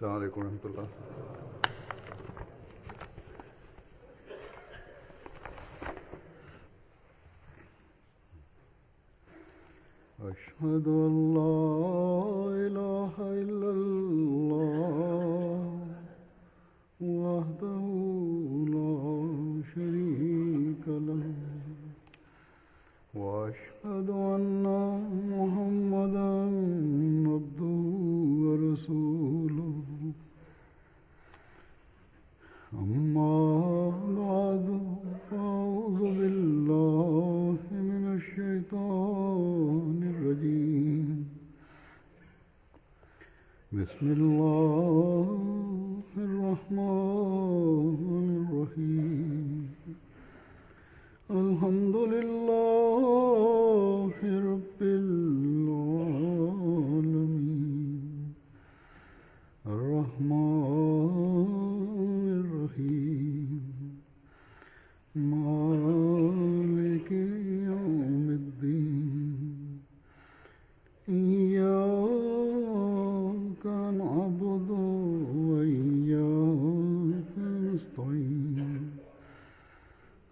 السلام عليكم ورحمة الله. أشهد أن لا إله إلا الله وحده لا شريك له وأشهد أن محمدا عبده ورسوله أما بعد فأعوذ بالله من الشيطان الرجيم بسم الله الرحمن الرحيم الحمد لله رب العالمين الرحمن الرحيم مالك يوم الدين إياك نعبد وإياك نستعين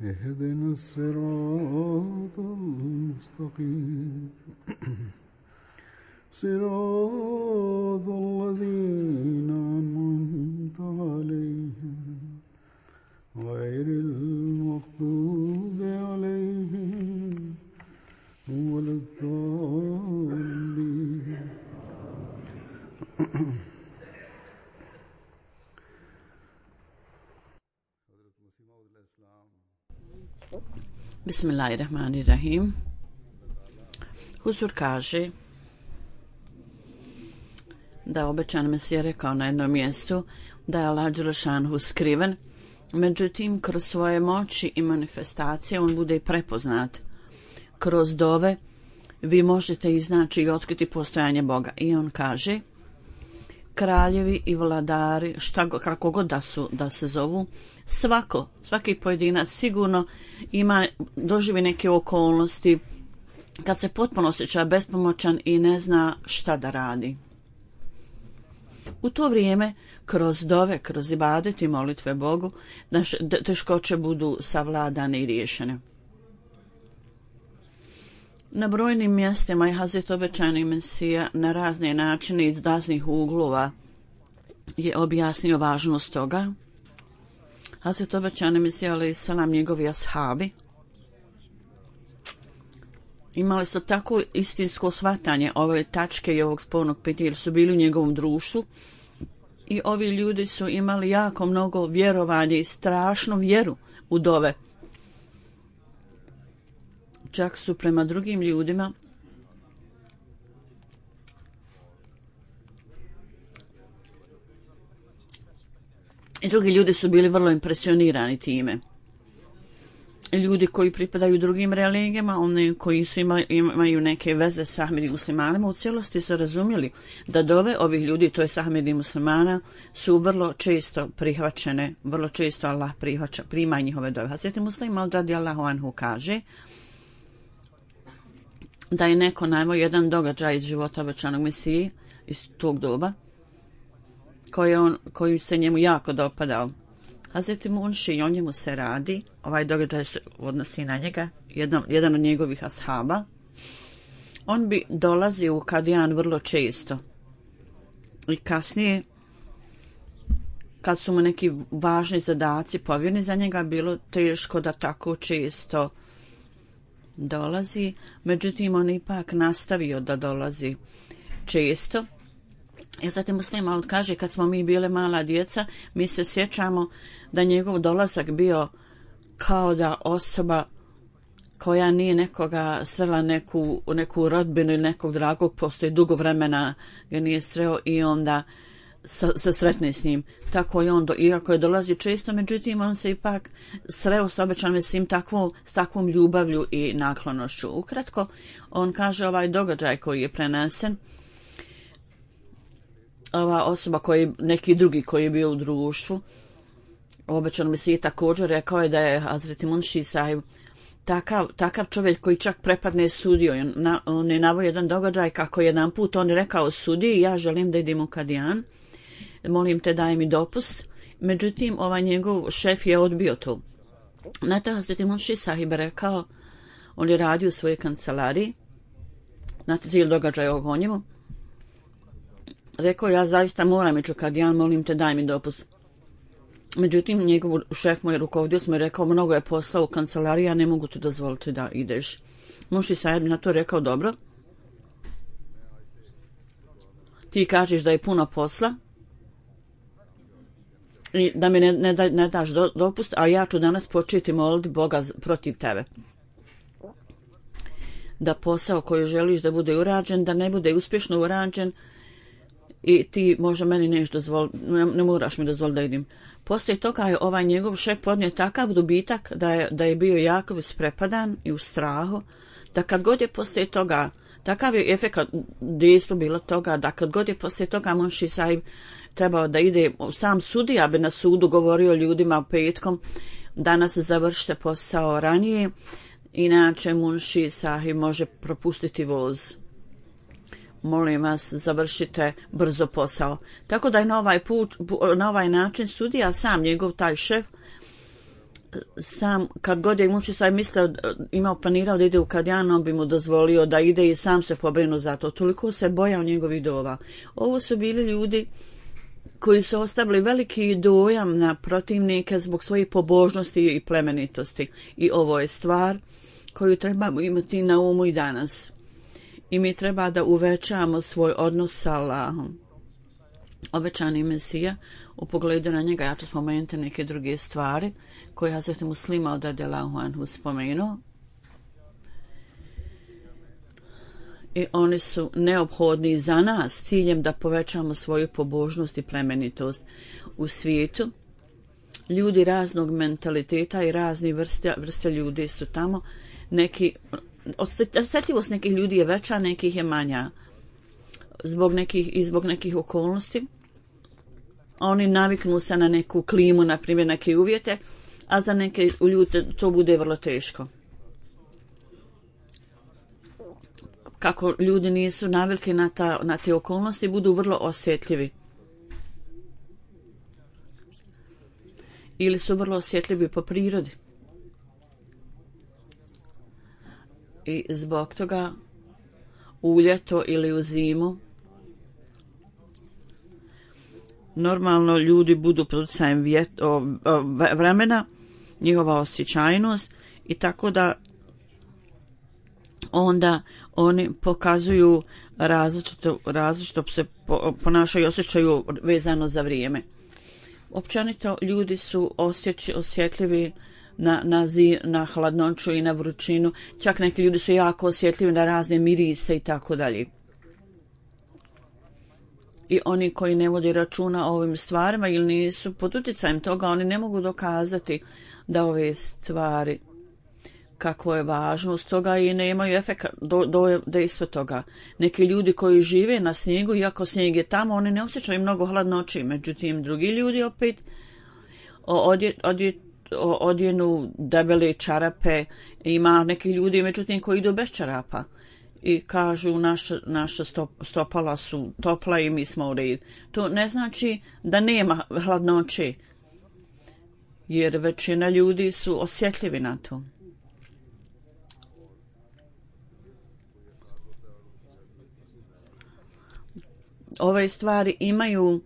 اهدنا الصراط المستقيم صراط الذين أنعمت عليهم غير المغضوب عليهم ولا الضالين. Bismillahirrahmanirrahim. Huzur kaže da obećan Mesija rekao na jednom mjestu da je Allah dželešanhu skriven, međutim kroz svoje moći i manifestacije on bude prepoznat. Kroz dove vi možete iznaći i otkriti postojanje Boga. I on kaže, kraljevi i vladari, kako god da se zovu, svaki pojedinac sigurno doživi neke okolnosti kad se potpuno osjeća bespomoćan i ne zna šta da radi. U to vrijeme, kroz dove, kroz ibadet i molitve Bogu, naše teškoće budu savladane i riješene. Na brojnim mjestima je Hazret obećani Mesija na razne načine iz raznih uglova je objasnio važnost toga. Hazret obećani Mesija alejhi selam, njegovi ashabi imali su tako istinsko shvatanje ove tačke i ovog spornog pitanja jer su bili u njegovom društvu i ovi ljudi su imali jako mnogo vjerovanja i strašnu vjeru u dove. Čak su prema drugim ljudima i drugi ljudi su bili vrlo impresionirani time. Ljudi koji pripadaju drugim religijama, oni koji su imaju neke veze s Ahmedi muslimanima, u cijelosti su razumjeli da dove ovih ljudi, to je Ahmedi muslimana, su vrlo često prihvaćene, vrlo često Allah prima njihove dove. Hazreti Muslim Maud radijallahu anhu kaže da je neko naveo jedan događaj iz života obećanog Mesije iz tog doba koji se njemu jako dopadao. Hazreti Munši, o njemu se radi, ovaj događaj se odnosi na njega, jedan od njegovih ashaba. On bi dolazio u Kadijan vrlo često i kasnije kad su mu neki važni zadaci povjereni za njega, bilo teško da tako često dolazi, međutim on ipak nastavio da dolazi često. I zatim Muslim Maud kaže, kad smo mi bile mala djeca, mi se sjećamo da njegov dolazak bio kao da osoba koja nije nekoga srela neku rodbinu ili nekog dragog, postoji dugo vremena ga nije sreo i onda se sretne s njim. Tako je on, iako je dolazi često, međutim on se ipak sreo s obećanim s takvom ljubavlju i naklonošću. Ukratko, on kaže ovaj događaj koji je prenesen, ova osoba neki drugi koji je bio u društvu, obećanom Mesiji također rekao je da je Hazreti Munši sahib takav čovjek koji čak prepadne sudio. On je naveo jedan događaj kako jedan put on je rekao sudiji, ja želim da idem u Kadijan. molim te daj mi dopust. Međutim, ovaj njegov šef je odbio to. Na to Hazreti Munši Sahib rekao, on je radio u svojoj kancelariji, znate cijeli događaj o njemu, rekao, ja zaista moram ići u Kadijan, molim te daj mi dopust. Međutim, njegov šef mu je rukovodio, smo je rekao, mnogo je posla u kancelariji, ja ne mogu ti dozvoliti da ideš. Munši Sahib na to rekao, dobro, ti kažeš da je puno posla i da mi ne daš dopust, ali ja ću danas početi moliti Boga protiv tebe. Da posao koji želiš da bude urađen, da ne bude uspješno urađen i ti možda meni nešto dozvoliti, ne moraš mi dozvoliti da idem. Poslije toga je ovaj njegov šef podnio takav dobitak da je bio jako isprepadan i u strahu, da kad god je poslije toga, takav je efekat dejstvo bilo toga, da kad god je poslije toga Munši Sahib trebao da ide, sam sudija bi na sudu govorio ljudima petkom, danas završite posao ranije, inače Munši Sahib može propustiti voz. Molim vas, završite brzo posao. Tako da je na ovaj način sudija, sam njegov taj šef, sam kad god je Munši Sahib planirao da ide u Kadijan, on bi mu dozvolio da ide i sam se pobrinuo za to. Toliko se bojao njegovih dova. Ovo su bili ljudi koji su ostavili veliki dojam na protivnike zbog svoje pobožnosti i plemenitosti. I ovo je stvar koju trebamo imati na umu i danas. I mi treba da uvećamo svoj odnos sa Allahom. Obećani Mesija, u pogledu na njega ja ću spomenuti neke druge stvari koje Hazreti Muslima od radijallahu anhu spomenuo. I oni su neophodni za nas s ciljem da povećamo svoju pobožnost i plemenitost u svijetu. Ljudi raznog mentaliteta i razni vrste ljudi su tamo. Osjetljivost nekih ljudi je veća, nekih je manja. Zbog nekih okolnosti. Oni naviknu se na neku klimu, na primjer neke uvjete, a za neke ljude to bude vrlo teško. Kako ljudi nisu navikli na te okolnosti, budu vrlo osjetljivi. Ili su vrlo osjetljivi po prirodi. I zbog toga u ljeto ili u zimu normalno ljudi budu pod utjecajem vremena, njihova osjećajnost i tako da onda oni pokazuju različito se ponašaju i osjećaju vezano za vrijeme. Općenito ljudi su osjetljivi na hladnoću i na vrućinu, čak neki ljudi su jako osjetljivi na razne mirise i tako dalje. I oni koji ne vode računa o ovim stvarima ili nisu pod utjecajem toga, oni ne mogu dokazati da ove stvari kako je važnost toga i ne imaju efekt dejstva toga. Neki ljudi koji žive na snijegu, iako snijeg je tamo, oni ne osjećaju mnogo hladnoći. Međutim, drugi ljudi opet odjenu debele čarape, ima neki ljudi međutim koji idu bez čarapa i kažu naša stopala su topla i mi smo u redu. To ne znači da nema hladnoće, jer većina ljudi su osjetljivi na to. Ove stvari imaju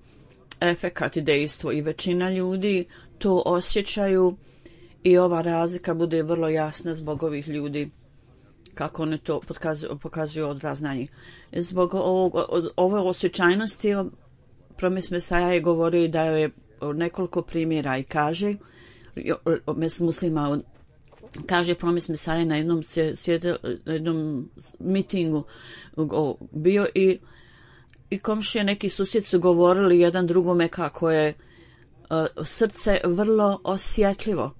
efekat i dejstvo i većina ljudi to osjećaju i ova razlika bude vrlo jasna zbog ovih ljudi kako oni to pokazuju odraz na njih. Zbog ove osjećajnosti Promis Mesaja je govorio da je nekoliko primjera i kaže muslima kaže Promis Mesaja na jednom mitingu bio i komšije neki susjed su govorili jedan drugome kako je srce vrlo osjetljivo.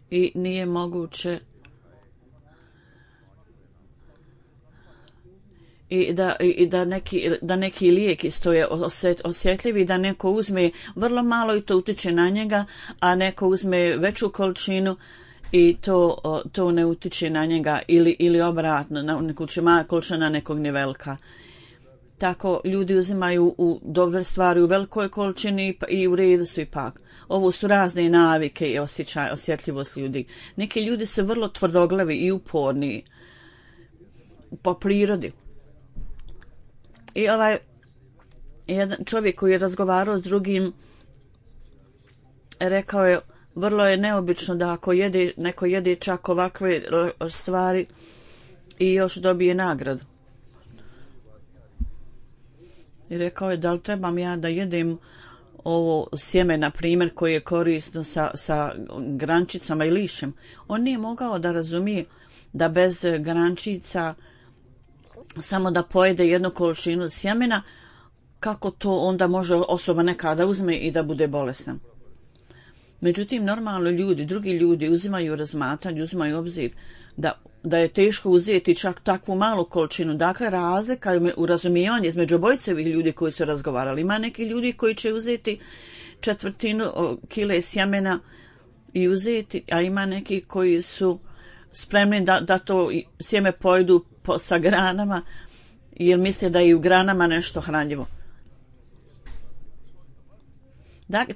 I nije moguće da neki lijek isto je osjetljivi, da neko uzme vrlo malo i to utječe na njega, a neko uzme veću količinu i to ne utiče na njega ili obratno, na neku količina nekog nije velika. Tako ljudi uzimaju u dobre stvari u velikoj količini i u redu su ipak. Ovo su razne navike i osjetljivost ljudi. Neki ljudi su vrlo tvrdoglavi i uporni po prirodi. I jedan čovjek koji je razgovarao s drugim rekao je, vrlo je neobično da ako neko jede čak ovakve stvari i još dobije nagradu. I rekao je, da li trebam ja da jedem ovo sjeme, na primjer, koje je korisno sa grančicama i lišćem. On nije mogao da razumije da bez grančica samo da pojede jednu količinu sjemena, kako to onda može osoba nekada uzme i da bude bolesna. Međutim, normalno drugi ljudi uzimaju razmatranje, uzimaju obzir da je teško uzeti čak takvu malu količinu. Dakle, razlika u razumijevanju između obojicevih ljudi koji su razgovarali. Ima neki ljudi koji će uzeti 1/4 kile sjemena i uzeti, a ima neki koji su spremni da to sjeme pojedu sa granama, jer misle da je i u granama nešto hranljivo.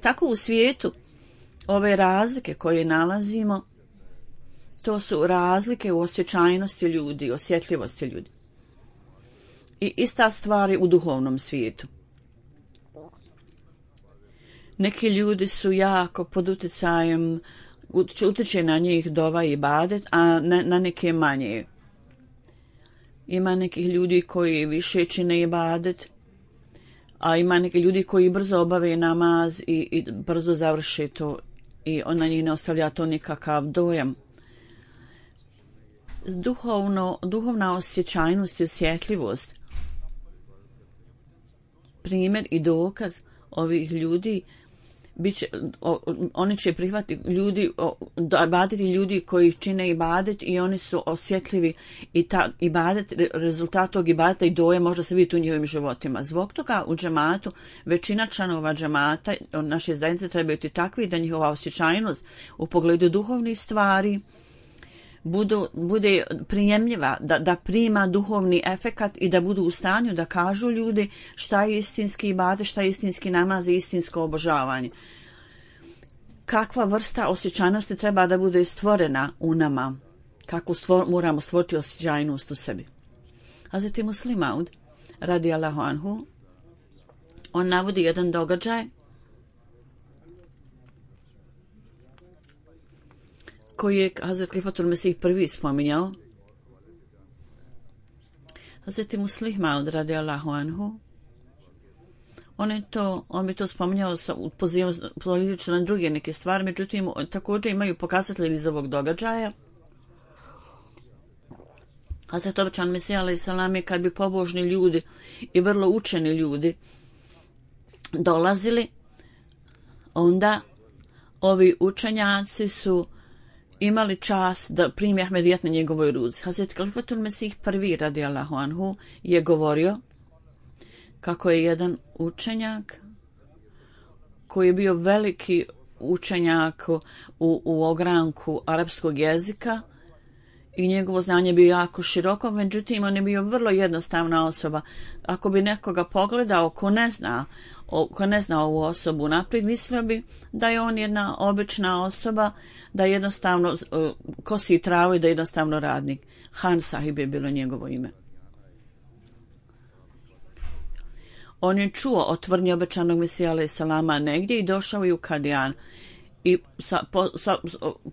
Tako u svijetu ove razlike koje nalazimo, to su razlike u osjećajnosti ljudi, osjetljivosti ljudi. I ista stvar je u duhovnom svijetu. Neki ljudi su jako pod utjecajem, utječe na njih dova i ibadet, a na neke manje. Ima nekih ljudi koji više čine ibadet, a ima neki ljudi koji brzo obave namaz i brzo završe to i na njih ne ostavlja to nikakav dojam. Duhovna osjećajnost i osjetljivost, primjer i dokaz ovih ljudi, oni će prihvatiti ibadeti ljudi koji čine ibadet i oni su osjetljivi i rezultat tog ibadeta i doje može se vidjeti u njihovim životima. Zbog toga u džematu većina članova džemata naše zajednice trebaju biti takvi da njihova osjećajnost u pogledu duhovnih stvari bude prijemljiva, da prima duhovni efekat i da budu u stanju da kažu ljudi šta je istinski ibadet, šta je istinski namaz i istinsko obožavanje. Kakva vrsta osjećajnosti treba da bude stvorena u nama, kako moramo stvoriti osjećajnost u sebi. Hazreti Muslim Maud, radijallahu anhu, on navodi jedan događaj koji je Hazret Klifatul Mesih prvi spominjao. Hazreti Muslim Maud radijallahu anhu, on bi to spominjao pozivajući na druge neke stvari, međutim također imaju pokazatelji iz ovog događaja. Hazret obećan Mesija alejhi selam je kad bi pobožni ljudi i vrlo učeni ljudi dolazili, onda ovi učenjaci su imali čast da primi Ahmedijet na njegovoj ruci. Hazret Klifatul Mesih prvi radijallahu anhu je govorio kako je jedan učenjak koji je bio veliki učenjak u ogranku arapskog jezika i njegovo znanje bio jako široko, međutim on je bio vrlo jednostavna osoba. Ako bi nekoga pogledao ko ne zna ovu osobu naprijed, mislio bi da je on jedna obična osoba, da jednostavno kosi travu i da je jednostavno radnik. Han Sahib je bilo njegovo ime. On je čuo o tvrdnji obećanog Mesija alejhi selama negdje i došao je u Kadijan. I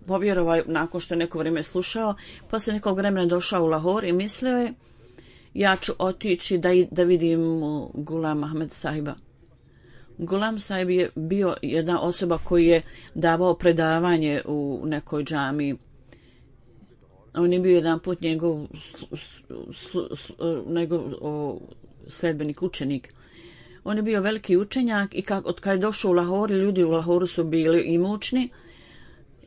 povjerovao nakon što je neko vrijeme slušao, poslije nekog vremena došao u Lahor i mislio je, ja ću otići da vidim Gulam Ahmed Sahiba. Gulam Sahib je bio jedna osoba koji je davao predavanje u nekoj džamiji. On je bio jedan put njegov sledbenik, učenik. On je bio veliki učenjak i od kada je došao u Lahor, ljudi u Lahoru su bili imućni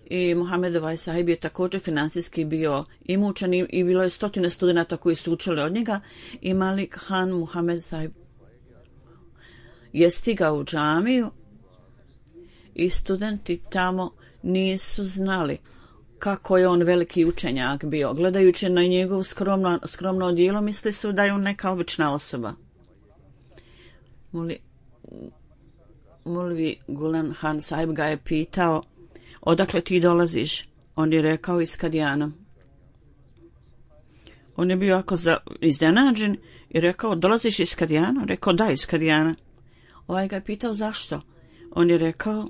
i Mohamedov Sahib je također financijski bio imućan i bilo je 100 studenata koji su učili od njega i Malik Han Muhammed Sahib je stigao u džamiju i studenti tamo nisu znali kako je on veliki učenjak bio. Gledajući na njegov skromno odijelo, misli su da je on neka obična osoba. Mulvi Gulen Han Sahib ga je pitao, odakle ti dolaziš? On je rekao iz Kadijana. On je bio jako iznenađen i rekao, dolaziš iz Kadijana? Rekao, da, iz Kadijana. Ovaj ga je pitao, zašto? On je rekao,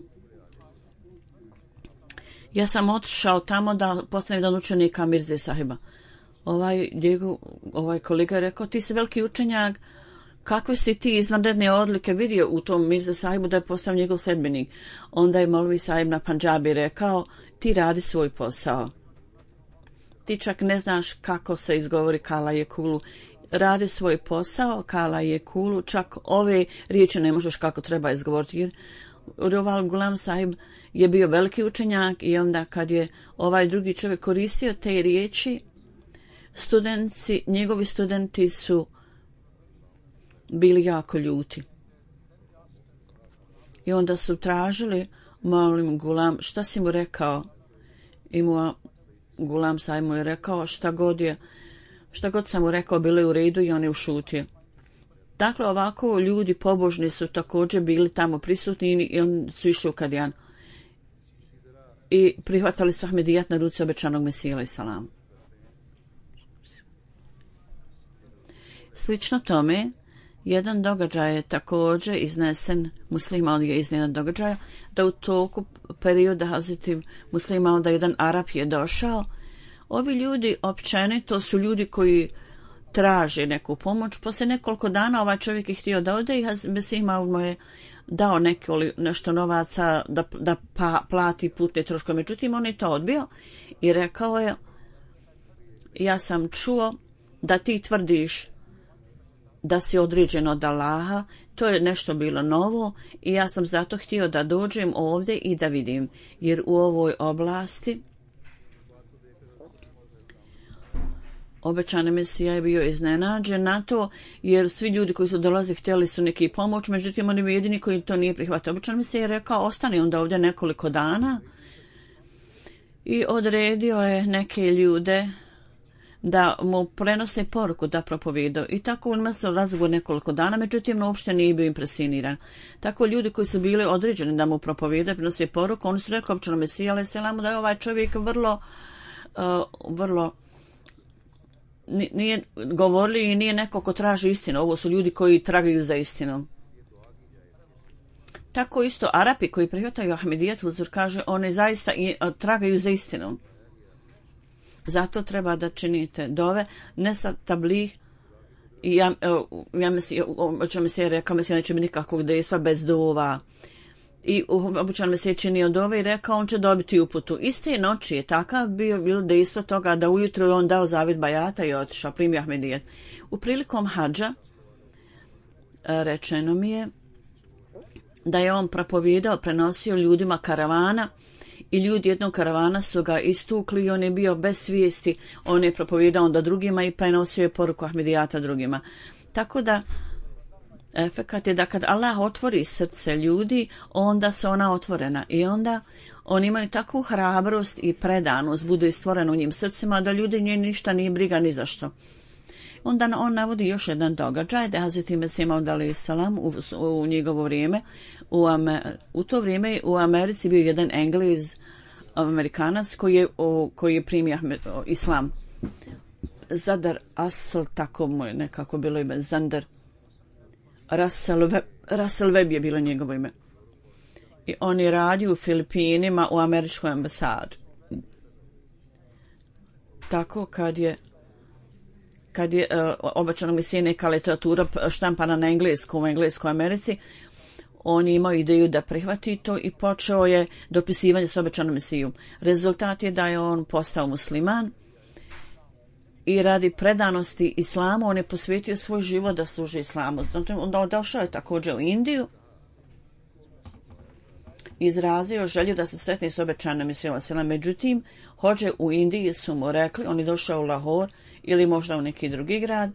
ja sam otišao tamo da postanem jedan učenika Mirze Sahiba. Ovaj kolega je rekao, ti si veliki učenjak, kakve si ti izvanredne odlike vidio u tom Mirze Sahibu da je postao njegov sledbenik? Onda je Molvi Sahib na Pandžabi rekao, ti radi svoj posao. Ti čak ne znaš kako se izgovori Kala je kulu. Radi svoj posao, Kala je kulu, čak ove riječi ne možeš kako treba izgovoriti. Jer Roval Gulam Sahib je bio veliki učenjak i onda kad je ovaj drugi čovjek koristio te riječi, njegovi studenti su bili jako ljuti. I onda su tražili, molim Gulam, šta si mu rekao? I Gulam Sahib mu je rekao šta god sam mu rekao bilo je u redu i on je ušutio. Dakle, ovako ljudi pobožni su također bili tamo prisutni i oni su išli u Kadijan i prihvatali su Ahmedijat na ruci obećanog Mesija alejhi selam. Slično tome, jedan događaj je također iznesen, Muslima on je iznesen događaja, da u toku perioda Hazreti Muslima onda jedan Arap je došao. Ovi ljudi općenito su ljudi koji traže neku pomoć. Poslije nekoliko dana ovaj čovjek je htio da ode i Mesija mu je dao nešto novaca da plati putne troškove. Međutim, on je to odbio i rekao je, ja sam čuo da ti tvrdiš da si određen od Allaha, to je nešto bilo novo i ja sam zato htio da dođem ovdje i da vidim, jer u ovoj oblasti obećani Mesija je bio iznenađen na to, jer svi ljudi koji su dolazili htjeli su neki pomoć, međutim oni bi jedini koji to nije prihvatio. Obećani Mesija je rekao, ostani onda ovdje nekoliko dana i odredio je neke ljude da mu prenose poruku da propovijedao. I tako on se razgovor nekoliko dana, međutim uopšte nije bio impresioniran. Tako ljudi koji su bili određeni da mu propovijedaju, prenose poruku, oni su rekli obećanom Mesiji alejhi selam da je ovaj čovjek vrlo nije govorili i nije neko ko traži istinu. Ovo su ljudi koji tragaju za istinom. Tako isto Arapi koji prihvataju Ahmedijat, Huzur kaže, oni zaista tragaju za istinom. Zato treba da činite dove, ne sa tablih. I ja Mesija rekao, Mesija neće biti nikakvog dejstva bez dova. I običan Mesija činio dove i rekao, on će dobiti uputu. Iste noći je takav bilo dejstvo toga da ujutro je on dao zavjet bajata i otišao, primio Ahmedijat. U prilikom hadža rečeno mi je da je on propovijedao, prenosio ljudima karavana i ljudi jednog karavana su ga istukli i on je bio bez svijesti. On je propovijedao onda drugima i prenosio je poruku Ahmedijata drugima. Tako da efekat je da kad Allah otvori srce ljudi, onda su ona otvorena i onda oni imaju takvu hrabrost i predanost, budu istvoreni u njim srcima da ljudi nje ništa nije briga ni zašto. Onda on navodi još jedan događaj da Hazreti Mesija Maud alejhi selam u njegovo vrijeme, u to vrijeme u Americi bio jedan Englez, Amerikanac koji je primio islam. Zadar Asl, tako mu je nekako bilo ime, Zandar Russell Webb je bilo njegovo ime. I on je radio u Filipinima u američkoj ambasadi. Tako kad je obećano Mesija neka literatura štampana na engleskom u Engleskoj Americi, on je imao ideju da prihvati to i počeo je dopisivanje s obećanom Mesijom. Rezultat je da je on postao musliman i radi predanosti islamu on je posvetio svoj život da služi islamu. Onda došao je također u Indiju, izrazio želju da se sretne s obećanom Mesijom. Međutim, hođe u Indiji su mu rekli, on je došao u Lahore ili možda u neki drugi grad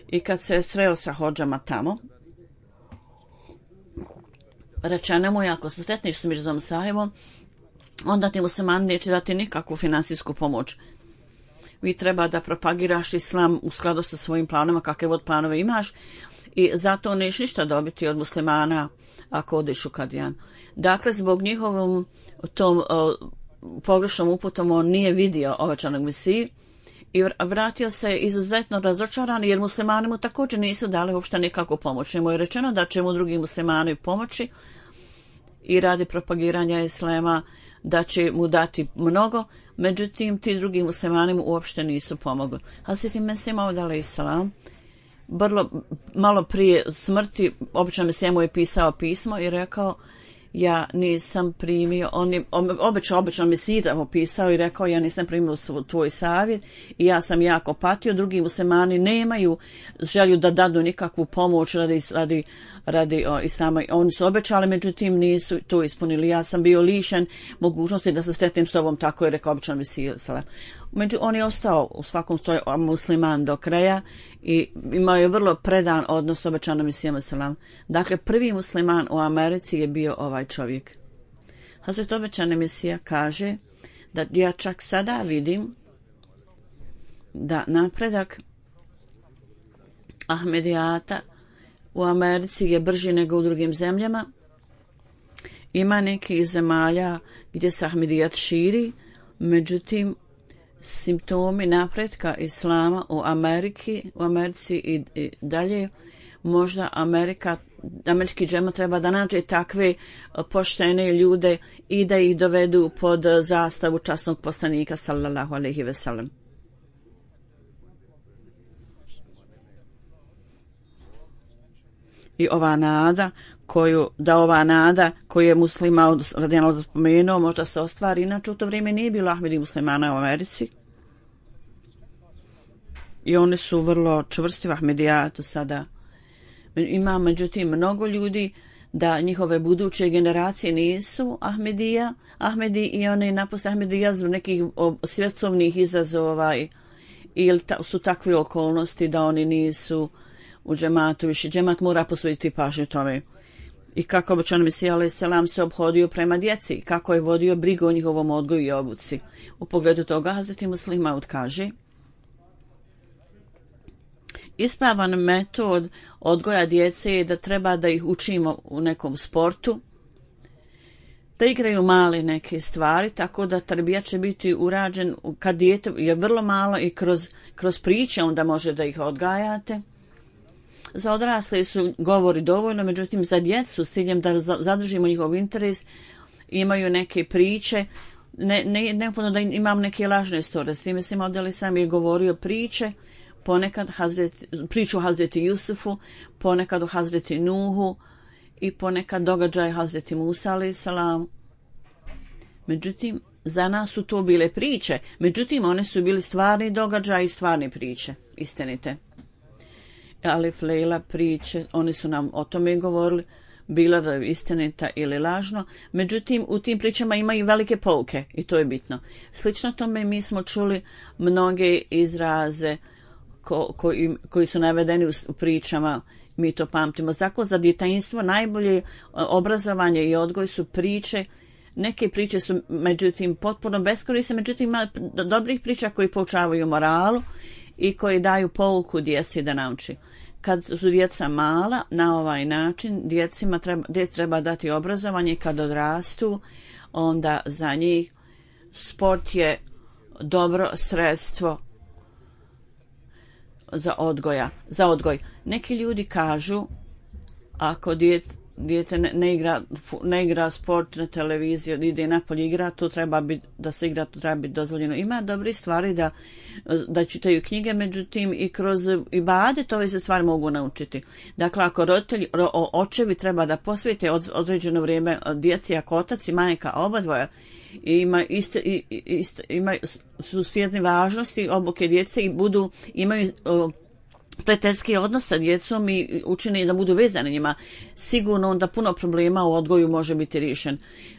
i kad se je sreo sa hođama tamo, rečeno mu je, ako se sretneš s Mirzom Sahibom, onda ti muslimani neće dati nikakvu finansijsku pomoć. Vi treba da propagiraš islam u skladu sa svojim planovima, kakve god planove imaš, i zato nećeš ništa dobiti od muslimana ako odeš u Kadijan. Dakle, zbog njihovom tom pogrešnom uputom on nije vidio obećanog Mesiju i vratio se izuzetno razočaran, jer muslimani mu također nisu dali uopšte nikakvu pomoć. Njemu je rečeno da će mu drugi muslimani pomoći i radi propagiranja islama da će mu dati mnogo, međutim ti drugi muslimani mu uopšte nisu pomogli. Hazreti Mesih Maud alejselam malo prije smrti obično Mesija mu je pisao pismo i rekao: ja nisam primio, on je obično Mesija mu pisao i rekao: ja nisam primio tvoj savjet i ja sam jako patio, drugi muslimani nemaju želju da dadu nikakvu pomoć radi islama. Oni su obećali, međutim nisu to ispunili. Ja sam bio lišen mogućnosti da se sretnem s tobom, tako je rekao obično Mesija. On je ostao u svakom slučaju musliman do kraja i imao je vrlo predan odnos s obećanom Mesijom selam. Dakle, prvi musliman u Americi je bio ovaj čovjek. Hazret obećani Mesija kaže da ja čak sada vidim da napredak Ahmedijata u Americi je brži nego u drugim zemljama. Ima nekih zemalja gdje se Ahmedijat širi, međutim simptomi napretka islama u Americi i dalje, možda američki džemat treba da nađe takve poštene ljude i da ih dovedu pod zastavu časnog poslanika sallallahu alejhi ve sellem. I ova nada koju je muslima radijallahu spomenuo možda se ostvari, inače u to vrijeme nije bilo Ahmedi muslimana u Americi i oni su vrlo čvrsti u Ahmedijatu sada. Ima međutim mnogo ljudi da njihove buduće generacije nisu Ahmedi i oni napuste Ahmedija zbog nekih svjetovnih izazova ili su takve okolnosti da oni nisu u džematu više. Džemat mora posvetiti pažnju tome. I kako obećan Mesija alejselam se obhodio prema djeci, kako je vodio brigu o njihovom odgoju i obuci. U pogledu toga Hazreti Muslih Maud kaže: ispravan metod odgoja djece je da treba da ih učimo u nekom sportu, da igraju male neke stvari, tako da tarbijat će biti urađen kad dijete je vrlo malo i kroz priče onda može da ih odgajate. Za odrasle su govori dovoljno, međutim za djecu s ciljem da zadržimo njihov interes imaju neke priče, neophodno da imam neke lažne istorije. S time se modeli sam je govorio priče, ponekad priču o Hazreti Jusufu, ponekad o Hazreti Nuhu i ponekad događaj Hazreti Musa alejselam. Međutim, za nas su to bile priče, međutim one su bili stvarni događaj i stvarne priče, istinite. Alif Lejla priče, oni su nam o tome govorili, bila da je istinita ili lažno, međutim u tim pričama imaju velike pouke i to je bitno. Slično tome mi smo čuli mnoge izraze koji su navedeni u pričama, mi to pamtimo. Zato za djetinjstvo najbolje obrazovanje i odgoj su priče. Neke priče su međutim potpuno beskorisne, međutim ima dobrih priča koji poučavaju moralu i koji daju pouku djeci da nauči. Kad su djeca mala, na ovaj način djeci treba dati obrazovanje. Kad odrastu, onda za njih sport je dobro sredstvo za odgoj. Neki ljudi kažu ako dijete ne igra sport na televiziji, ide napolje igra, to treba biti da se igra, to treba biti dozvoljeno. Ima dobri stvari da čitaju knjige, međutim i kroz ibadet ove se stvari mogu naučiti. Dakle, ako roditelji, očevi treba da posvete određeno vrijeme djeci, ako otac i majka obadvoja su svjesni važnosti obuke djece i imaju prijateljski odnos sa djecom i učine da budu vezani njima, sigurno onda puno problema u odgoju može biti riješen.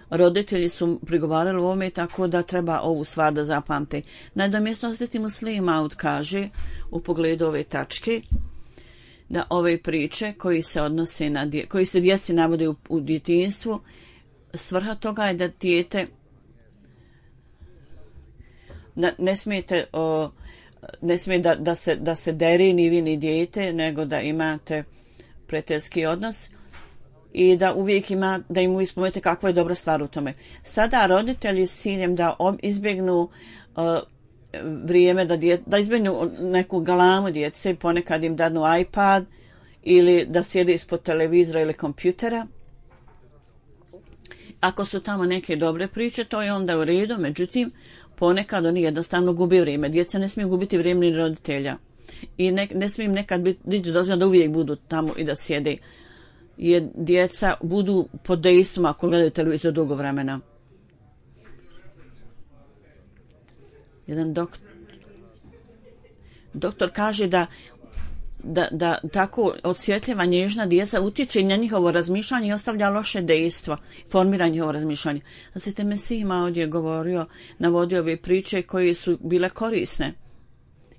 Roditelji su prigovarali u ovome, tako da treba ovu stvar da zapamte. Nadomjesto Hazreti Muslih Maud kaže u pogledu ove tačke da ove priče koji se djeci navode u djetinjstvu, svrha toga je da dijete ne smijete ne smije da se deri ni vi ni dijete, nego da imate prijateljski odnos i da uvijek da im uvijek spomenete kakva je dobra stvar u tome. Sada roditelji s ciljem da izbjegnu vrijeme, da izbjegnu neku galamu djece, ponekad im dadnu iPad ili da sjede ispod televizora ili kompjutera. Ako su tamo neke dobre priče, to je onda u redu, međutim, ponekad oni jednostavno gubi vrijeme. Djeca ne smiju gubiti vrijeme ni roditelja. I ne smije im nekad biti dozvoljeno da uvijek budu tamo i da sjede. Jer djeca budu pod dejstvom ako gledaju televizor dugo vremena. Jedan doktor kaže da tako osvjetljiva nježna djeca utječe na njihovo razmišljanje i ostavlja loše dejstva, formira njihovo razmišljanje. Znači, Mesih ima ovdje navodio ove priče koje su bile korisne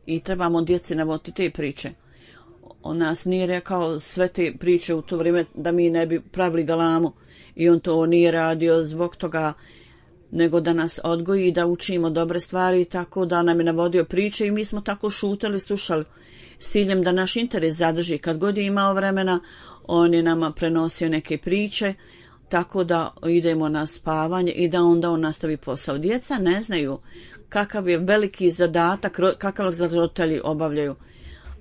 i trebamo djeci navoditi te priče. On nas nije rekao sve te priče u to vrijeme da mi ne bi pravili galamu i on to nije radio zbog toga, nego da nas odgoji i da učimo dobre stvari, tako da nam je navodio priče i mi smo tako šutali, slušali s ciljem da naš interes zadrži. Kad god je imao vremena, on je nama prenosio neke priče, tako da idemo na spavanje i da onda on nastavi posao. Djeca ne znaju kakav je veliki zadatak, kakav roditelji obavljaju.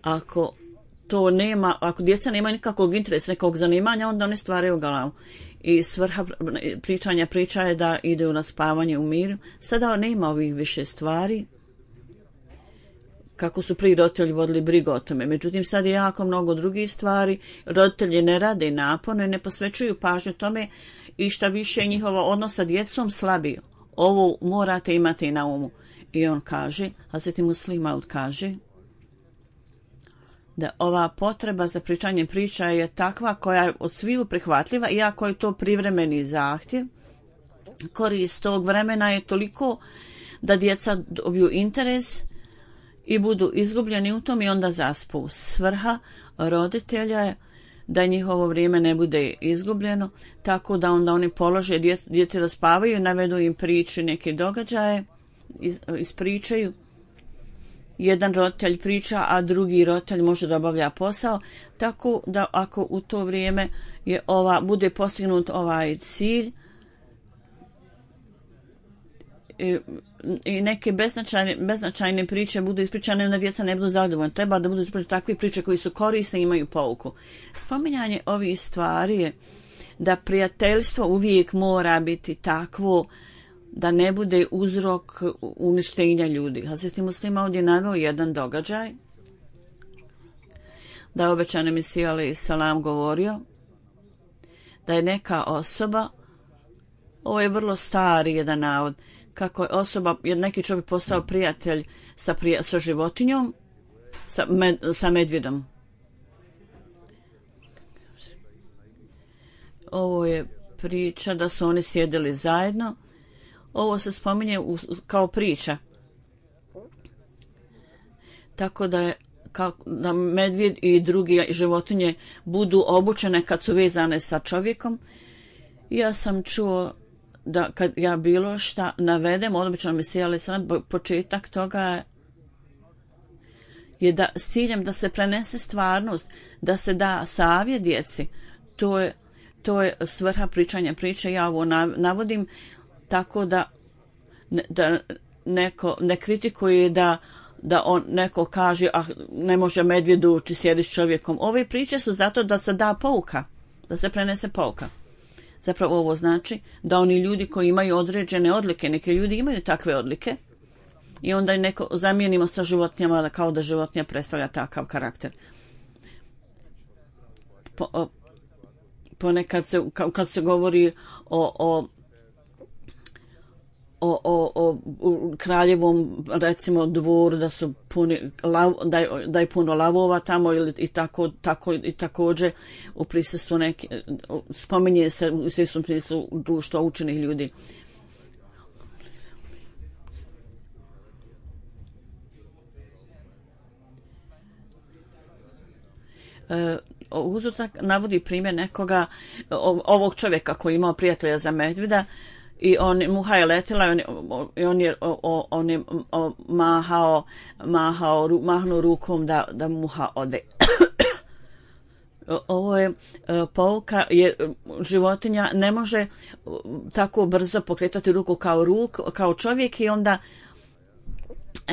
Ako djeca nema nikakvog interesa, nekog zanimanja, onda oni stvaraju galamu. I svrha priča je da idu na spavanje u miru. Sada nema ovih više stvari, kako su prije roditelji vodili brigu o tome. Međutim, sad je jako mnogo drugih stvari. Roditelji ne rade naporno, ne posvećuju pažnju tome i šta više njihova odnos sa djecom slabiju. Ovo morate imati na umu. I on kaže, Hazreti Muslih Maud kaže, da ova potreba za pričanje priča je takva koja je od sviju prihvatljiva, iako je to privremeni zahtjev. Korist tog vremena je toliko da djeca dobiju interes i budu izgubljeni u tom i onda zaspu. Svrha roditelja je da njihovo vrijeme ne bude izgubljeno, tako da onda oni polože djete da spavaju, navedu im priče, neke događaje, ispričaju. Jedan roditelj priča, a drugi roditelj može da obavlja posao, tako da ako u to vrijeme bude postignut ovaj cilj i neke beznačajne priče budu ispričane, onda djeca ne budu zadovoljna. Treba da budu ispričane takve priče koji su korisne i imaju pouku. Spominjanje ovih stvari je da prijateljstvo uvijek mora biti takvo da ne bude uzrok uništenja ljudi. Hazreti Muslima ovdje naveo jedan događaj da je obećani Mesih alejhi selam govorio da je neka osoba, ovo je vrlo stari jedan navod, kako je neki čovjek postao prijatelj sa životinjom, sa medvjedom. Ovo je priča da su oni sjedili zajedno. Ovo se spominje kao priča. Tako da medvjed i drugi životinje budu obučene kad su vezane sa čovjekom. Ja sam čuo da kad ja bilo šta navedem, obično Mesih alejhi selam, početak toga je da s ciljem da se prenese stvarnost, da se da savjet djeci. To je svrha pričanja priče. Ja ovo navodim tako da neko ne kritikuje da neko kaže ne može medvjed ući, sjedi s čovjekom. Ove priče su zato da se da pouka, da se prenese pouka. Zapravo ovo znači da oni ljudi koji imaju određene odlike, neki ljudi imaju takve odlike i onda je neko zamijenimo sa životinjama kao da životinja predstavlja takav karakter. Ponekad kad se govori o kraljevom recimo dvoru da su da je puno lavova tamo i također u prisustvu spominje se u svjesnom prisustvu društva učenih ljudi. Uzortak navodi primjer nekoga ovog čovjeka koji imao prijatelja za medvjeda i muha je letjela i on je mahnuo rukom da muha ode. Ovo je pouka, životinja ne može tako brzo pokretati ruku kao čovjek i onda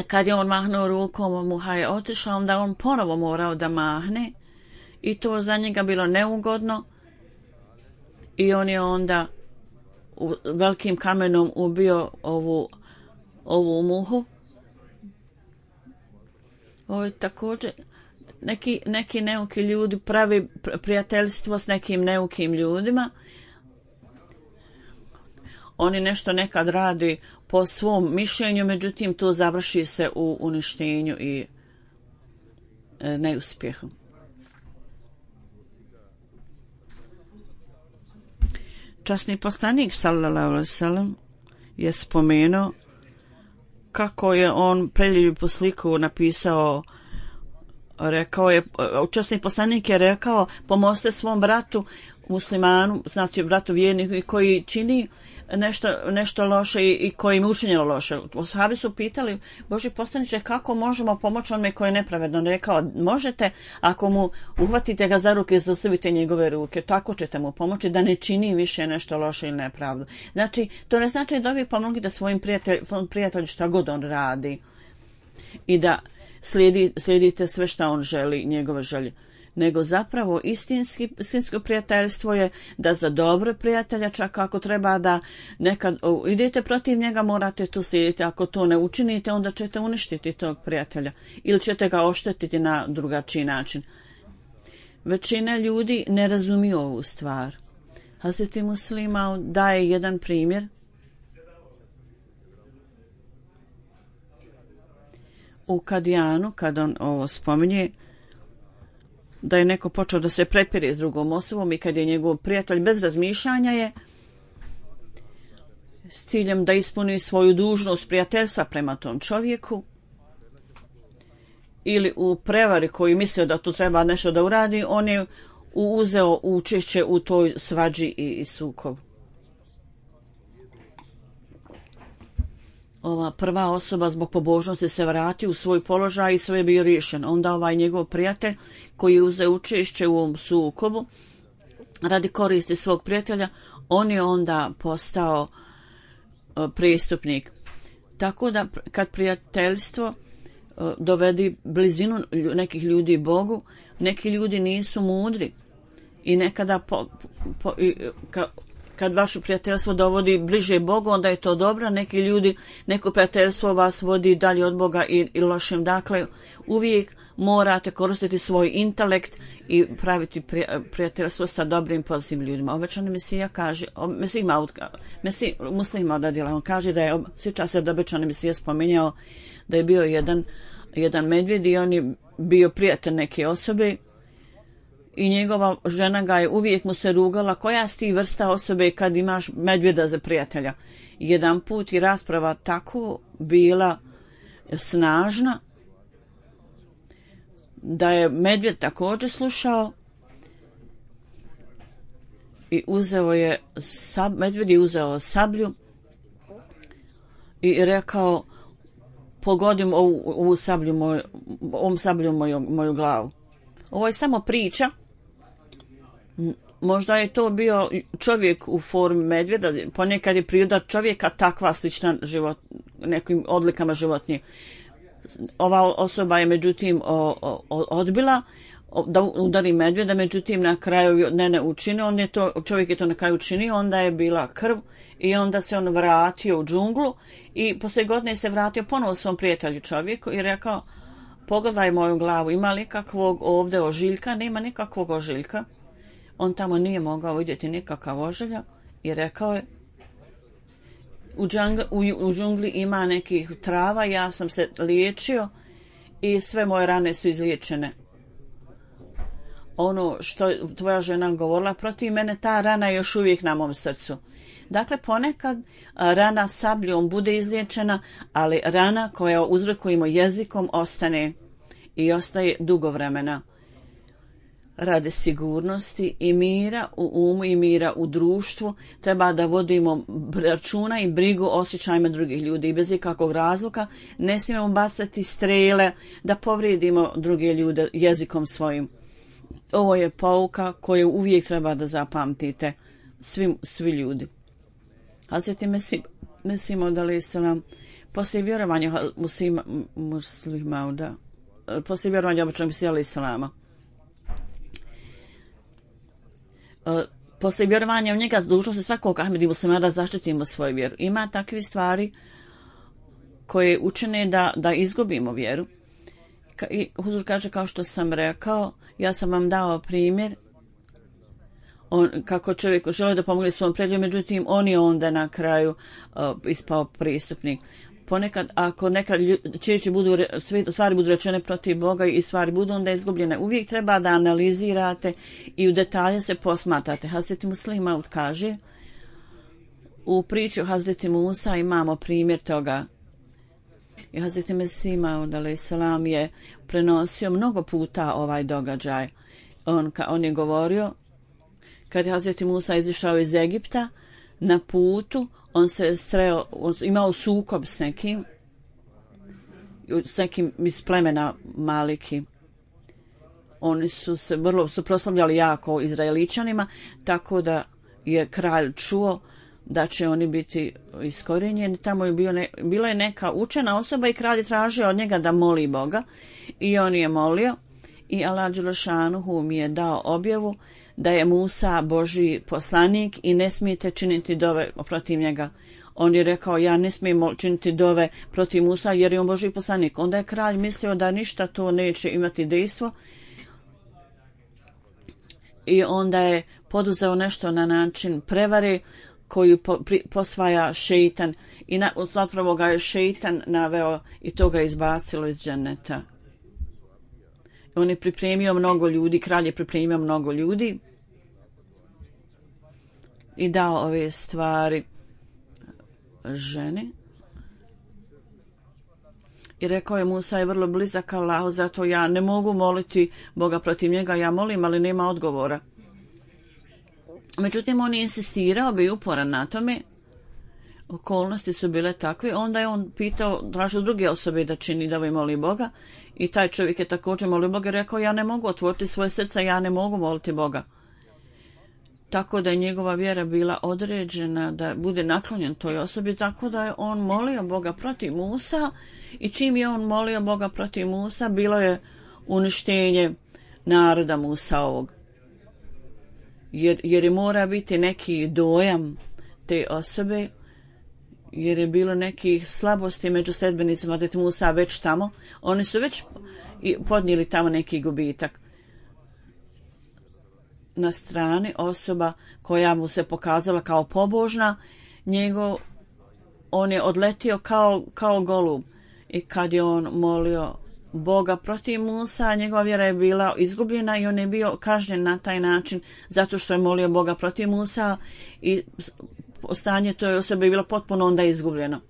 kad je on mahnuo rukom, muha je otišla, onda on ponovo morao da mahne i to za njega bilo neugodno i on je onda velikim kamenom ubio ovu muhu. Ovo je također neki neuki ljudi pravi prijateljstvo s nekim neukim ljudima. Oni nešto nekad radi po svom mišljenju, međutim to završi se u uništenju i neuspjehu. Časni poslanik sallallahu alejhi ve sellem je spomenuo kako je on preljepu sliku napisao. Rekao je, časni poslanik je rekao, pomozite svom bratu muslimanu, znači bratu vjerniku koji čini nešto loše i koji im učinjeno loše. Sahabi su pitali, Božji poslaniče, kako možemo pomoći onome koji je nepravedno? Rekao, možete ako mu uhvatite ga za ruke i zaustavite njegove ruke, tako ćete mu pomoći da ne čini više nešto loše ili nepravdu. Znači, to ne znači da uvijek pomogite svojim prijatelju šta god on radi i da slijedite sve šta on želi, njegove želje. Nego zapravo istinsko prijateljstvo je da za dobro prijatelja, čak ako treba da nekad idete protiv njega, morate to slijediti. Ako to ne učinite, onda ćete uništiti tog prijatelja ili ćete ga oštetiti na drugačiji način. Većina ljudi ne razumije ovu stvar. Hazreti Muslima daje jedan primjer. U Kadijanu, kad on ovo spominje, da je neko počeo da se prepire s drugom osobom i kad je njegov prijatelj bez razmišljanja je s ciljem da ispuni svoju dužnost prijateljstva prema tom čovjeku ili u prevari koji mislio da tu treba nešto da uradi, on je uzeo učešće u toj svađi i sukobu. Ova prva osoba zbog pobožnosti se vrati u svoj položaj i sve je bio riješen. Onda ovaj njegov prijatelj koji je uzeo učešće u ovom sukobu radi koristi svog prijatelja, on je onda postao prestupnik. Tako da kad prijateljstvo dovedi blizinu nekih ljudi Bogu, neki ljudi nisu mudri i nekada kad vaše prijateljstvo dovodi bliže Bogu, onda je to dobro. Neki ljudi, neko prijateljstvo vas vodi dalje od Boga i lošem. Dakle, uvijek morate koristiti svoj intelekt i praviti prijateljstvo sa dobrim, pozitivnim ljudima. Obećani Mesija kaže, Muslima odadila, on kaže da je, sjeća se da obećani Mesija spominjao da je bio jedan medvjed i on je bio prijatelj neke osobe i njegova žena ga je uvijek mu se rugala, koja si ti vrsta osobe kad imaš medvjeda za prijatelja. Jedan put i rasprava tako bila snažna da je medvjed također slušao i medvjed je uzeo sablju i rekao, pogodim ovom sablju moju glavu. Ovo je samo priča. Možda je to bio čovjek u formi medvjeda, ponekad je priroda čovjeka takva slična nekim odlikama životinje. Ova osoba je međutim odbila da udari medvjeda, međutim na kraju ne učinio, čovjek je to na kraju učinio, onda je bila krv i onda se on vratio u džunglu i poslije godine se vratio ponovo svom prijatelju čovjeku i rekao, pogledaj moju glavu, ima li kakvog ovdje ožiljka? Nema nikakvog ožiljka. On tamo nije mogao vidjeti nikakav ožiljak i rekao je, u džungli ima nekih trava, ja sam se liječio i sve moje rane su izliječene. Ono što je tvoja žena govorila protiv mene, ta rana je još uvijek na mom srcu. Dakle, ponekad rana sabljom bude izliječena, ali rana koja uzrokujemo jezikom ostane i ostaje dugo vremena. radi sigurnosti i mira u umu i mira u društvu treba da vodimo računa i brigu o osjećajima drugih ljudi i bez ikakvog razloga ne smijemo bacati strele da povrijedimo druge ljude jezikom svojim. Ovo je pouka koju uvijek treba da zapamtite svi ljudi. Hazreti Mesih Maud alejselam poslije vjerovanja muslimauda, poslije vjerovanja običnog Mesija alejselama, poslije vjerovanja u njega dužnost se svakog Ahmedi muslimana da zaštitimo svoju vjeru. Ima takve stvari koje učine da izgubimo vjeru. I Huzur kaže, kao što sam rekao, ja sam vam dao primjer kako čovjek želi da pomogne svom prijatelju, međutim on je onda na kraju ispao pristupnik. Ponekad, ako nekad stvari budu rečene protiv Boga i stvari budu onda izgubljene, uvijek treba da analizirate i u detalje se posmatrate. Hazreti Muslim Maud kaže, u priči o Hazreti Musa imamo primjer toga. I Hazreti Mesih Maud alejselam je prenosio mnogo puta ovaj događaj. On je govorio, kad je Hazreti Musa izišao iz Egipta, na putu on se sreo, imao sukob s nekim iz plemena Maliki. Oni su se vrlo suprotstavljali jako Izraeličanima, tako da je kralj čuo da će oni biti iskorijenjeni. Tamo je bila je neka učena osoba i kralj je tražio od njega da moli Boga i on je molio i Allah dželešanuhu mi je dao objavu da je Musa Božji poslanik i ne smijete činiti dove protiv njega. On je rekao, ja ne smijem činiti dove protiv Musa jer je on Božji poslanik. Onda je kralj mislio da ništa to neće imati dejstvo i onda je poduzeo nešto na način prevare koju posvaja šeitan i zapravo ga je šeitan naveo i to ga izbacilo iz dženeta. On je pripremio mnogo ljudi, kralj je pripremio mnogo ljudi i dao ove stvari ženi. I rekao je, Musa je vrlo blizak Allahu, zato ja ne mogu moliti Boga protiv njega, ja molim, ali nema odgovora. Međutim, on je insistirao, bio uporan na tome, okolnosti su bile takve, onda je on pitao, tražio druge osobe da čini da moli Boga i taj čovjek je također molio Boga i rekao, ja ne mogu otvoriti svoje srce, ja ne mogu moliti Boga. Tako da je njegova vjera bila određena da bude naklonjen toj osobi, tako da je on molio Boga protiv Musa i čim je on molio Boga protiv Musa, bilo je uništenje naroda Musa ovog. Jer je mora biti neki dojam te osobe, jer je bilo nekih slabosti među sledbenicima od Musa već tamo. Oni su već podnijeli tamo neki gubitak. Na strani osoba koja mu se pokazala kao pobožna, on je odletio kao golub. I kad je on molio Boga protiv Musa, njegova vjera je bila izgubljena i on je bio kažnjen na taj način zato što je molio Boga protiv Musa i stanje toj osobe je bilo potpuno onda izgubljeno.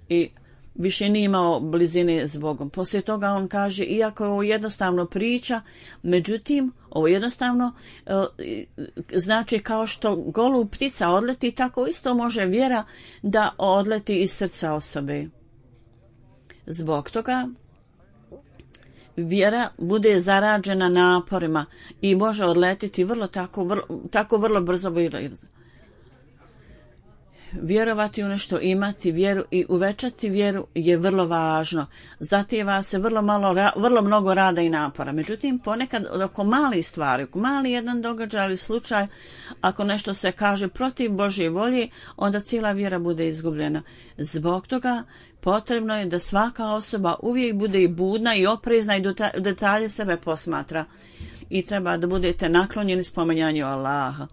I više nije imao blizine s Bogom. Poslije toga on kaže, iako je ovo jednostavno priča, međutim, ovo jednostavno znači kao što golub ptica odleti, tako isto može vjera da odleti iz srca osobe. Zbog toga vjera bude zarađena naporima i može odletiti vrlo brzo. Vjerovati u nešto, imati vjeru i uvećati vjeru je vrlo važno. Zahtijeva se vrlo mnogo rada i napora. Međutim, ponekad oko malih stvari, oko mali jedan događaj ili slučaj, ako nešto se kaže protiv Božje volje, onda cijela vjera bude izgubljena. Zbog toga potrebno je da svaka osoba uvijek bude i budna i oprezna i detalje sebe posmatra. I treba da budete naklonjeni spominjanju Allaha.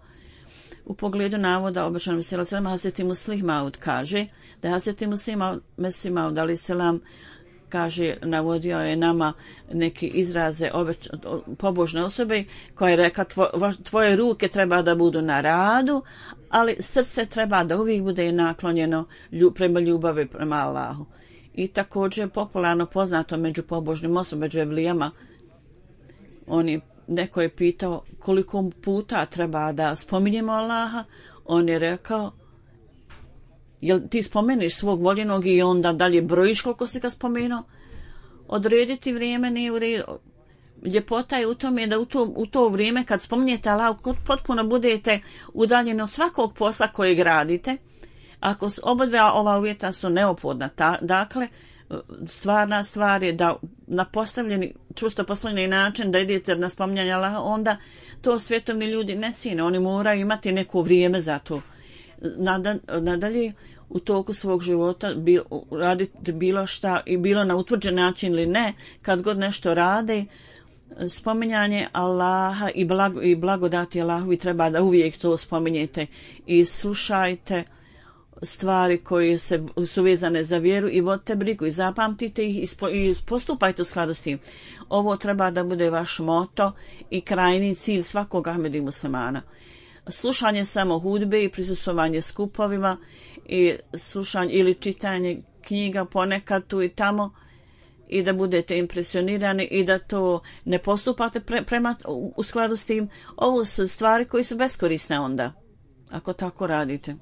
U pogledu navoda obećanog Mesija alejselam, Hazreti Muslim Maud kaže da Hazreti Mesih Maud alejselam kaže, navodio je nama neki izraze pobožne osobe koja je rekla, tvoje ruke treba da budu na radu, ali srce treba da uvijek bude naklonjeno prema ljubavi prema Allahu. I također popularno poznato među pobožnim osobama, među evlijama, oni neko je pitao koliko puta treba da spominjemo Allaha, on je rekao, jel ti spomeniš svog voljenog i onda dalje brojiš koliko si ga spomenuo? Odrediti vrijeme nije u redu. Ljepota je u tome da u to vrijeme kad spominjete Allah, potpuno budete udaljeni od svakog posla kojeg radite. Ako obadva ova uvjeta su neophodna, dakle, stvarna stvar je da na postavljeni, čvrsto postavljeni način da idete na spominjanje Allaha, onda to svjetovni ljudi ne cijene, oni moraju imati neko vrijeme za to. Nadalje, u toku svog života raditi bilo šta i bilo na utvrđen način ili ne, kad god nešto rade, spominjanje Allaha i blagodati Allahu i treba da uvijek to spominjete i slušajte stvari koje su vezane za vjeru i vodite brigu i zapamtite ih i postupajte u skladu s tim. Ovo treba da bude vaš moto i krajni cilj svakog Ahmedi muslimana. Slušanje samo hudbe i prisustvovanje skupovima i slušanje ili čitanje knjiga ponekad tu i tamo i da budete impresionirani i da to ne postupate u skladu s tim. Ovo su stvari koje su beskorisne onda, ako tako radite.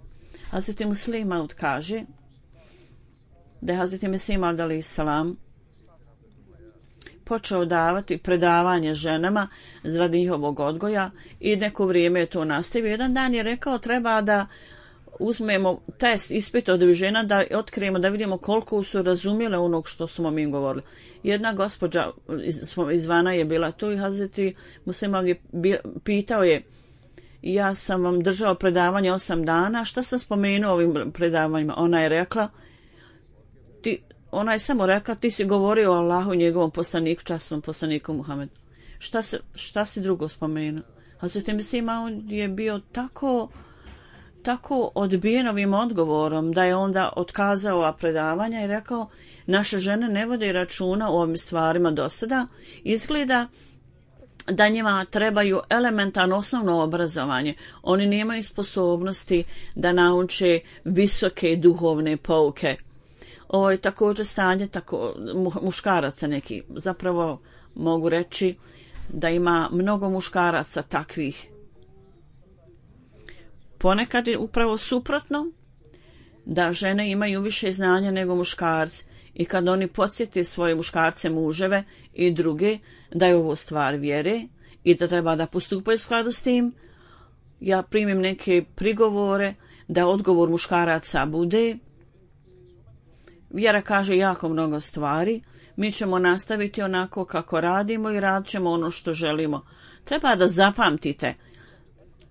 Hazreti Muslih Maud kaže da je Hazreti Mesih Maud alejhi selam počeo davati predavanje ženama radi njihovog odgoja i neko vrijeme je to nastavio. Jedan dan je rekao treba da uzmemo test, ispit od žena da otkrijemo, da vidimo koliko su razumjele onog što smo mi govorili. Jedna gospođa izvana je bila tu i Hazreti Muslih Maud je pitao je, ja sam vam držao predavanje 8 dana, šta sam spomenuo ovim predavanjima? Ona je samo rekla, ti si govorio o Allahu i njegovom poslaniku, časnom poslaniku Muhammedu. Šta si drugo spomenuo? Hazreti Mesih Maud je bio tako odbijen ovim odgovorom da je onda otkazao ova predavanja i rekao, naše žene ne vode računa o ovim stvarima do sada, izgleda da njima trebaju elementarno osnovno obrazovanje. Oni nemaju sposobnosti da nauče visoke duhovne pouke. Ovo je također stanje muškaraca neki. Zapravo mogu reći da ima mnogo muškaraca takvih. Ponekad je upravo suprotno, da žene imaju više znanja nego muškarci i kad oni podsjeti svoje muškarce, muževe i druge da je ovo stvar vjere i da treba da postupaju u skladu s tim, ja primim neke prigovore da odgovor muškaraca bude vjera kaže jako mnogo stvari, mi ćemo nastaviti onako kako radimo i radit ćemo ono što želimo. Treba da zapamtite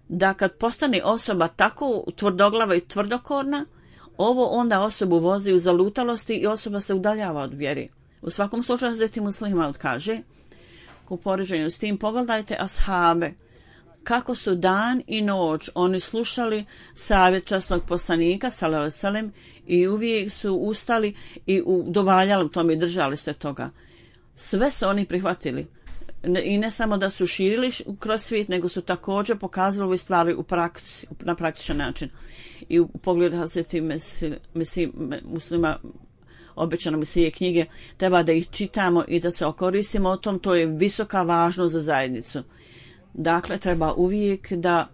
da kad postane osoba tako tvrdoglava i tvrdokorna, ovo onda osobu vozi u zalutalosti i osoba se udaljava od vjeri. U svakom slučaju Hazreti Muslih Maud kaže, u poređenju s tim pogledajte ashabe, kako su dan i noć oni slušali savjet časnog poslanika sallallahu alejhi ve sellem i uvijek su ustali i udovaljali u tome i držali se toga. Sve su oni prihvatili. I ne samo da su širili kroz svijet, nego su također pokazali ove stvari na praktičan način. I u pogledu Hazreti Muslima obećano Mesije knjige, treba da ih čitamo i da se okoristimo o tom, to je visoka važnost za zajednicu. Dakle, treba uvijek da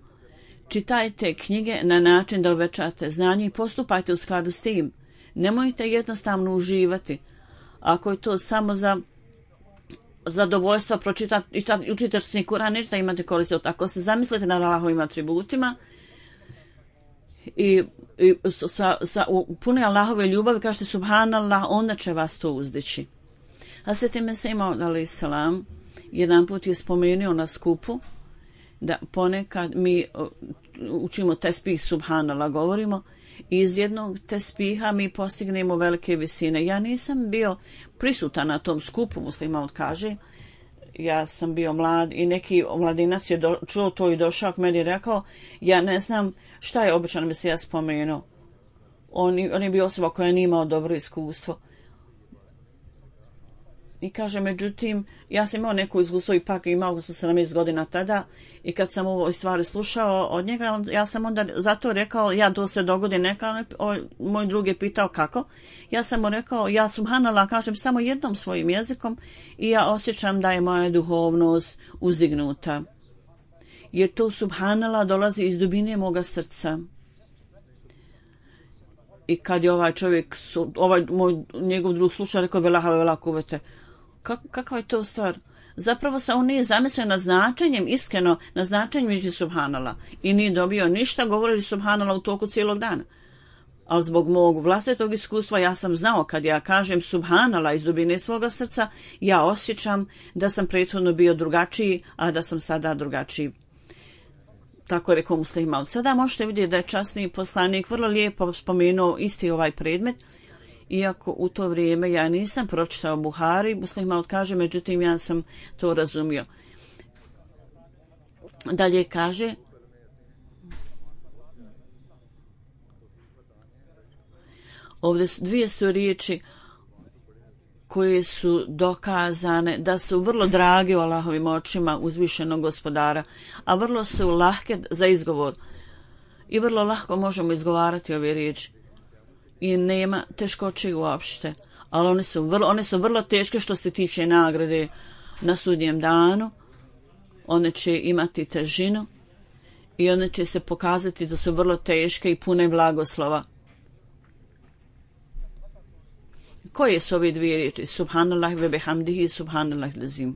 čitajte knjige na način da uvećate znanje i postupajte u skladu s tim. Nemojte jednostavno uživati. Ako je to samo za zadovoljstvo pročitati, učitaš se Kur'an, ništa imate koristi od. Ako se zamislite na Allahovim atributima i sa pune Allahove ljubavi, kažete subhanallah, onda će vas to uzdići. Hazreti Mesih Maud alejhi selam jedan put je spomenuo na skupu da ponekad mi učimo tespih subhanallah, govorimo, i iz jednog tespiha mi postignemo velike visine. Ja nisam bio prisutan na tom skupu, Muslih Maud kaže, ja sam bio mlad i neki mladinac je čuo to i došao k meni i rekao, ja ne znam šta je običan Mesija spomenuo. On je bio osoba koja nije imao dobro iskustvo. I kaže, međutim, ja sam imao neko iskustvo, ipak imao sam 17 godina tada, i kad sam ovo stvari slušao od njega, ja sam onda zato rekao, ja to se dogodi neka, moj drug je pitao kako, ja sam mu rekao, ja subhanallah kažem samo jednom svojim jezikom i ja osjećam da je moja duhovnost uzdignuta. Jer to subhanallah dolazi iz dubine moga srca. I kad je ovaj čovjek, njegov drug slušao, rekao, vela kuvvete. Kakva je to stvar? Zapravo se on nije zamislio nad značenjem, iskreno, nad značenjem riječi subhanallah. I nije dobio ništa govoreći subhanallah u toku cijelog dana. Ali zbog mog vlastitog iskustva ja sam znao kad ja kažem subhanallah iz dubine svoga srca, ja osjećam da sam prethodno bio drugačiji, a da sam sada drugačiji. Tako je rekao Muslih Maud. Sada možete vidjeti da je časni poslanik vrlo lijepo spomenuo isti ovaj predmet, iako u to vrijeme ja nisam pročitao Buhari, Muslih Maud kaže, međutim ja sam to razumio. Dalje kaže, ovdje dvije su riječi koje su dokazane da su vrlo drage u Allahovim očima uzvišenog gospodara, a vrlo su lahke za izgovor. I vrlo lahko možemo izgovarati ove riječi. I nema teškoće uopšte. Ali one su vrlo teške što se tiče nagrade na sudnjem danu. One će imati težinu i one će se pokazati da su vrlo teške i pune blagoslova. Koje su ove dvije riječi? Subhanallah ve bihamdihi, subhanallah lazim.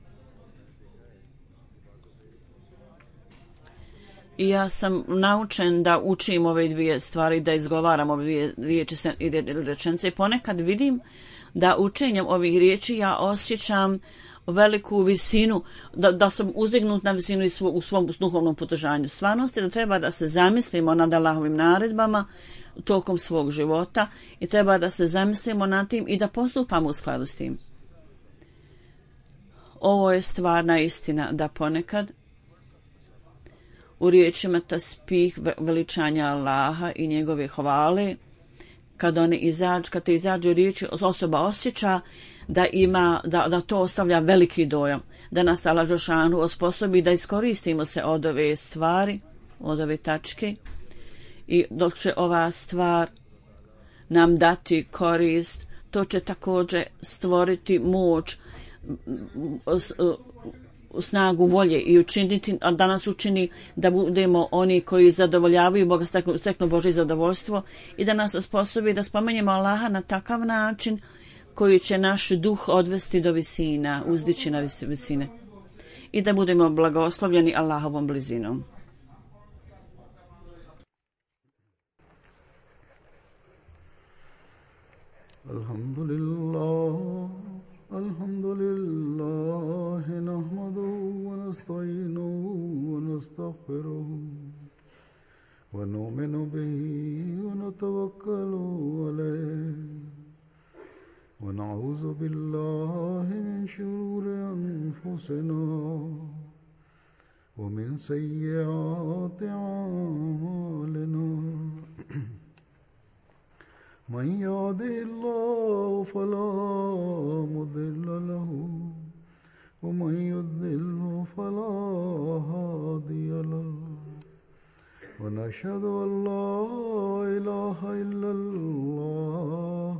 I ja sam naučen da učim ove dvije stvari, da izgovaram ove dvije riječi i rečenice. I ponekad vidim da učenjem ovih riječi ja osjećam veliku visinu, da sam uzdignut na visinu u svom duhovnom podržanju. Stvarnost je da treba da se zamislimo nad Allahovim naredbama tokom svog života i treba da se zamislimo nad tim i da postupamo u skladu s tim. Ovo je stvarna istina da ponekad u riječima tasbih, veličanja Allaha i njegove hvale, kad te izađu riječi, osoba osjeća da to ostavlja veliki dojam, da nas Allah dželešanu osposobi da iskoristimo se od ove stvari, od ove tačke, i dok će ova stvar nam dati korist, to će također stvoriti moć, snagu volje i učiniti, da nas učini da budemo oni koji zadovoljavaju Boga, steknu Božje zadovoljstvo i da nas osposobi da spomenjemo Allaha na takav način koji će naš duh odvesti do visina, uzdići na visine i da budemo blagoslovljeni Allahovom blizinom. Alhamdulillah, nahmaduhu wa nasta'inuhu wa nastaghfiruhu wa nu'minu bihi wa natawakkalu alayhi wa na'udhu billahi min shururi anfusina wa min sayyiati a'malina. من يهده الله فلا مضل له ومن يضلل فلا هادي له ونشهد أن لا إله إلا الله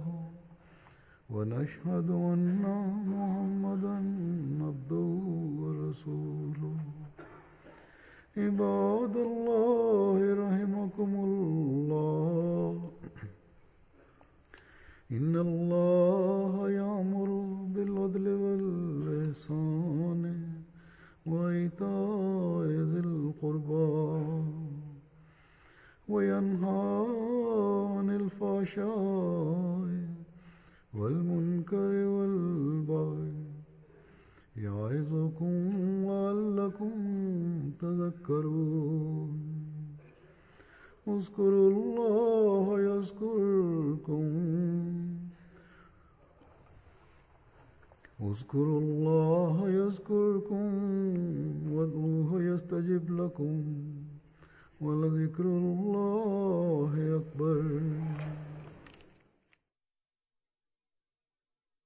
ونشهد أن محمدا عبده ورسوله عباد الله رحمكم الله إن الله يأمر بالعدل والإحسان وإيتاء ذي القربى وينهى عن الفحشاء والمنكر والبغي يعظكم لعلكم تذكرون اذكروا الله يذكركم اذكروا الله يذكركم وادعوه يستجب لكم ولذكر الله أكبر.